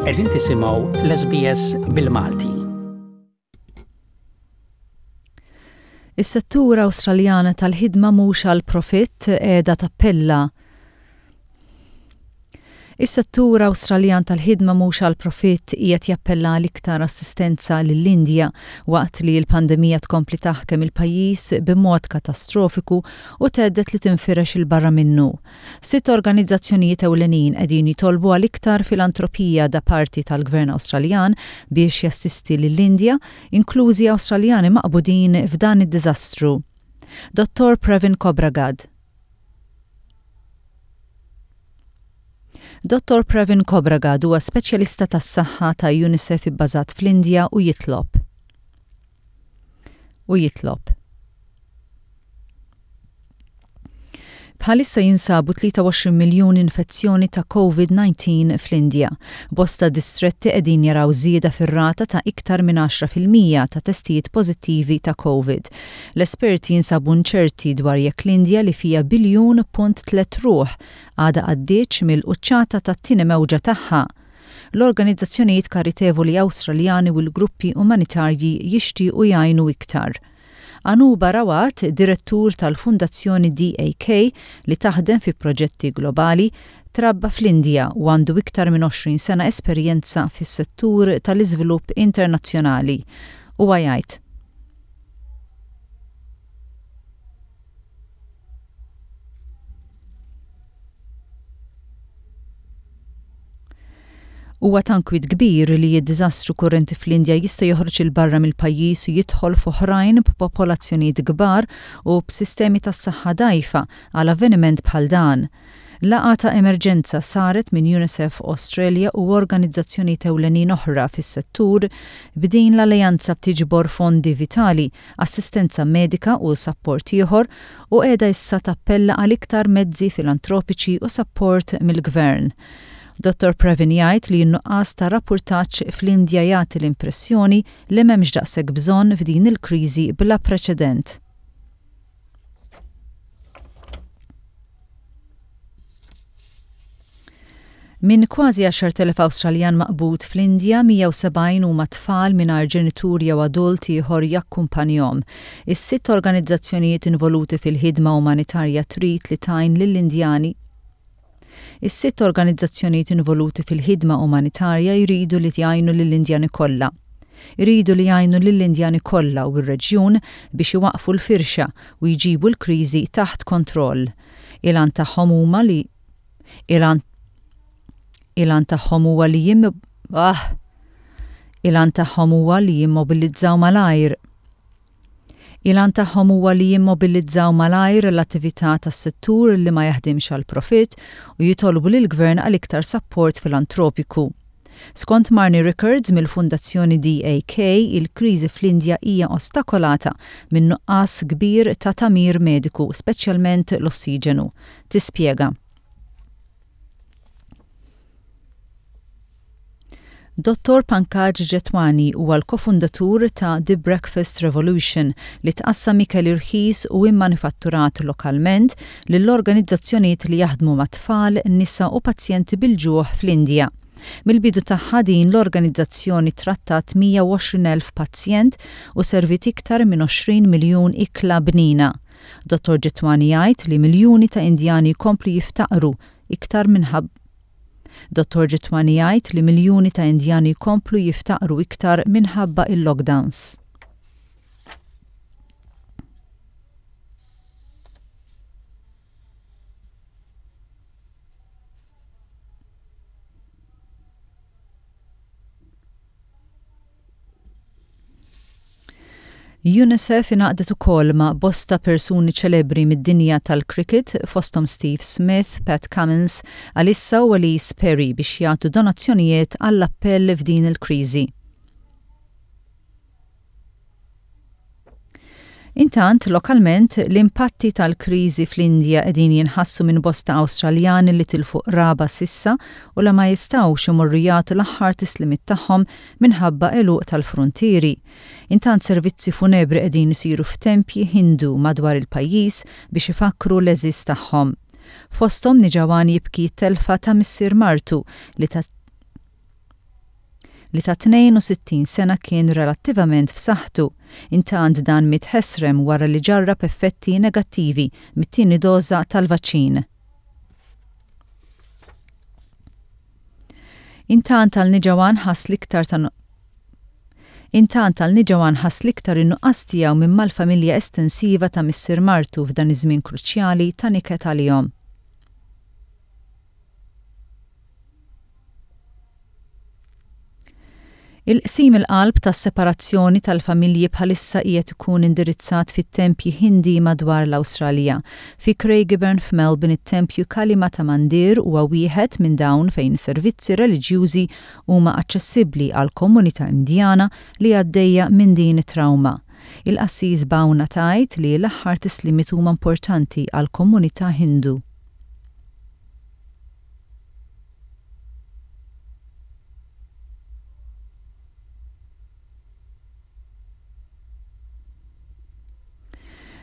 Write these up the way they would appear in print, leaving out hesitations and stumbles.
Qegħdin tisimgħu l-SBS bil-Malti. Is-settur Awstraljana tal-ħidma mhux għal profitt qiegħda tappella Is-settur Awstraljan tal-ħidma mhux għal profitt qiegħed jappella għal iktar assistenza lill-Indja waqt li l-pandemija tkompli taħkem il-pajjiż b'mod katastrofiku u thedded li tinfirex 'il barra minnu. Sitt organizzazzjonijiet ewlenin qegħdin jitolbu għal iktar filantropija da parti tal-Gvern Awstraljan biex jassisti lill-Indja, inklużi Awstraljani maqbudin f'dan id-diżastru. Dottor Pravin Khobragad. Dottor Pravin Khobragad huwa speċjalista tas-saħħa ta' UNICEF ibbażat fl-Indja u jitlob u jitlob. Bħalissa jinsabu 23 miljun infezzjoni ta' COVID-19 fl-Indja. Bosta distretti qegħdin jaraw żieda fir-rata ta' iktar minn 10% ta' testijiet pożittivi ta' COVID. L-esperti jinsabu inċerti dwar jekk l-Indja li fiha biljun punt tlett ruħ għadha għaddietx mill-quċċata tat-tieni mewġa tagħha. L-organizzazzjonijiet karitevoli Awstraljani u l-gruppi umanitarji jixtiequ jgħinu iktar. Anuba Rawat, direttur tal-Fundazzjoni DAK li taħdem fi proġetti globali, trabba fl-Indja u għandu iktar minn 20 sena esperjenza fis-settur tal-iżvilupp internazzjonali. Huwa jgħid. Huwa ta' nkwiet kbir li d-diżastru kurrenti fl-Indja jista' joħroġ 'il barra mill-pajjiż u jidħol f'oħrajn b'popolazzjonijiet kbar u b'sistemi tas-saħħa dgħajfa għal avveniment bħal dan. Laqgħa ta' emerġenza saret minn UNICEF Australia u organizzazzjonijiet ewlenin oħra fis-settur b'din l-alleanza b'tiġbor fondi vitali, assistenza medika u sapport ieħor u qiegħda issa tappella għal iktar mezzi filantropiċi u sapport mill-Gvern. Dottor Pravin jgħid li n-nuqqas ta' rappurtaġġ fl-Indja jagħti l-impressjoni li m'hemmx daqshekk bżonn f'din il-kriżi bla preċedent. Minn kważi 10,000 Awstraljan maqbud fl-Indja, 170 huma tfal mingħajr ġenitur jew adult ieħor jakkumpanjhom. Is-sitt organizzazzjonijiet involuti fil-ħidma umanitarja trid li tgħin lill-Indjani Is-sitt organizzazzjonijiet involuti fil-ħidma umanitarja jridu li jgħinu lill-Indjani kollha. Iridu li jgħinu lill-Indjani kollha u r-reġjun biex iwaqqfu l-firxa u jġibu l-kriżi taħt kontroll. Il-għan tagħhom huma li Il-għan Il-għan tagħhom huwa li jim ah! Il-għan tagħhom huwa li jimmobilizzaw malajr. Il-għan tagħhom huwa li jimmobilizzaw malajr l-attività tas-settur li ma jaħdimx għall-profitt u jitolbu lill-Gvern għal iktar sapport filantropiku. Skont Marnie Rickards mill-Fundazzjoni DAK, il-kriżi fl-Indja hija ostakolata minn nuqqas kbir ta' tagħmir mediku, speċjalment l-ossiġenu. Tispjega. Dottor Pankaj Jethwani huwa l-kofundatur ta' The Breakfast Revolution li tqassam ikel irħis u immanifatturat lokalment lil organizzazzjonijiet li jaħdmu ma' tfal, nisa u pazjenti bil-ġuħ fl-Indja. Mill-bidu tagħha din l-organizzazzjoni trattat 120,000 pazjent u serviet iktar minn 20 miljun ikla bnina. Dottor Jethwani jgħid li miljuni ta' Indjani jkomplu jiftaqru iktar minħabba Dottor Jethwani jgħid li miljuni ta' Indjani jkomplu jiftaqru iktar minħabba il-lockdowns. UNICEF ingħaqdet ukoll ma' bosta persuni ċelebri mid-dinja tal-cricket fosthom Steve Smith, Pat Cummins, Alyssa u Ellyse Perry biex jagħtu donazzjonijiet għall-appell f'din il-kriżi. Intant, lokalment, l-impatti tal-kriżi fl-Indja qegħdin jinħassu minn bosta Awstraljani li tilfu qraba s'issa u la ma jistgħux imorru jagħtu l-aħħar tislimiet tagħhom minħabba għeluq tal-fruntieri. Intant servizzi funebri qegħdin isiru f'tempji Hindu madwar il-pajjiż biex ifakkru l-għeżież tagħhom. Fosthom Nijawan jibki t-telfa ta' missier martu li ta. li ta' 62 sena kien relattivament f'saħħtu. Intant dan miet ħesrem wara li ġarrab effetti negattivi mit-tieni doża tal-vaċċin. Intant għal Nijawan ħass l-iktar ta' Intant għal Nijawan ħass l-iktar in-nuqqas tiegħu minn mal-familja estensiva ta' missier martu f'dan iż-żmien kruċjali ta' niket għalihom. Il-qsim il-qalb tas-separazzjoni tal-familji bħalissa qiegħed ikun indirizzat fit-tempji Hindi madwar l-Awstralja. Fi Craigieburn f'Melbourne it-tempju Kali Mata Mandir huwa wieħed minn dawn fejn servizzi reliġjużi huma aċċessibbli għall-komunità Indjana li għaddejja minn din it-trawma. Il-qassis Bawna tgħid li l-aħħar tislimiet huma importanti għall-komunità Hindu.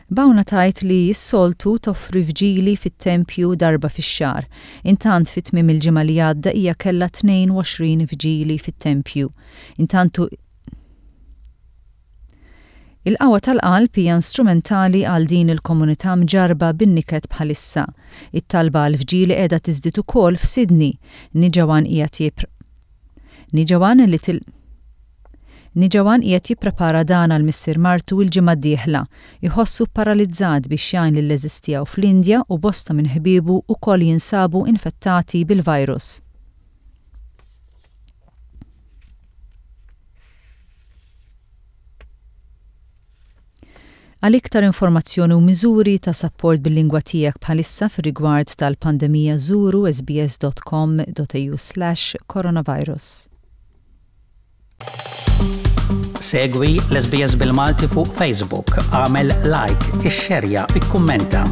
Bawna tgħid li s-soltu toffri vġili fit-tempju darba fix-xahar. Intant fi tmiem il-ġimgħa li għadda hija kellha 22 vġili fit-tempju. Intant Il-qawwa tal-qalb hija instrumentali għal din il-komunità mġarrba bin-niket bħalissa. It-talba għall-vġili qiegħda tiżdied ukoll f'Sydney. Nijawan qiegħed jippr Nijawan li til Nijawan qiegħed jipprepara dan għal missier martu l-ġimgħa d-dieħla. Iħossu pparalizzat biex jgħin lill-għeżież tiegħu fl-Indja u bosta minn ħbiebu wkoll jinsabu infettati bil-virus. Għal iktar informazzjoni u miżuri ta' sapport bil-lingwa tiegħek bħalissa fir-rigward tal-pandemija żuru sbs.com.au/coronavirus. Segwi l-SBS bil-Malti fuq Facebook, għamel like, ixxerja, ikkummenta.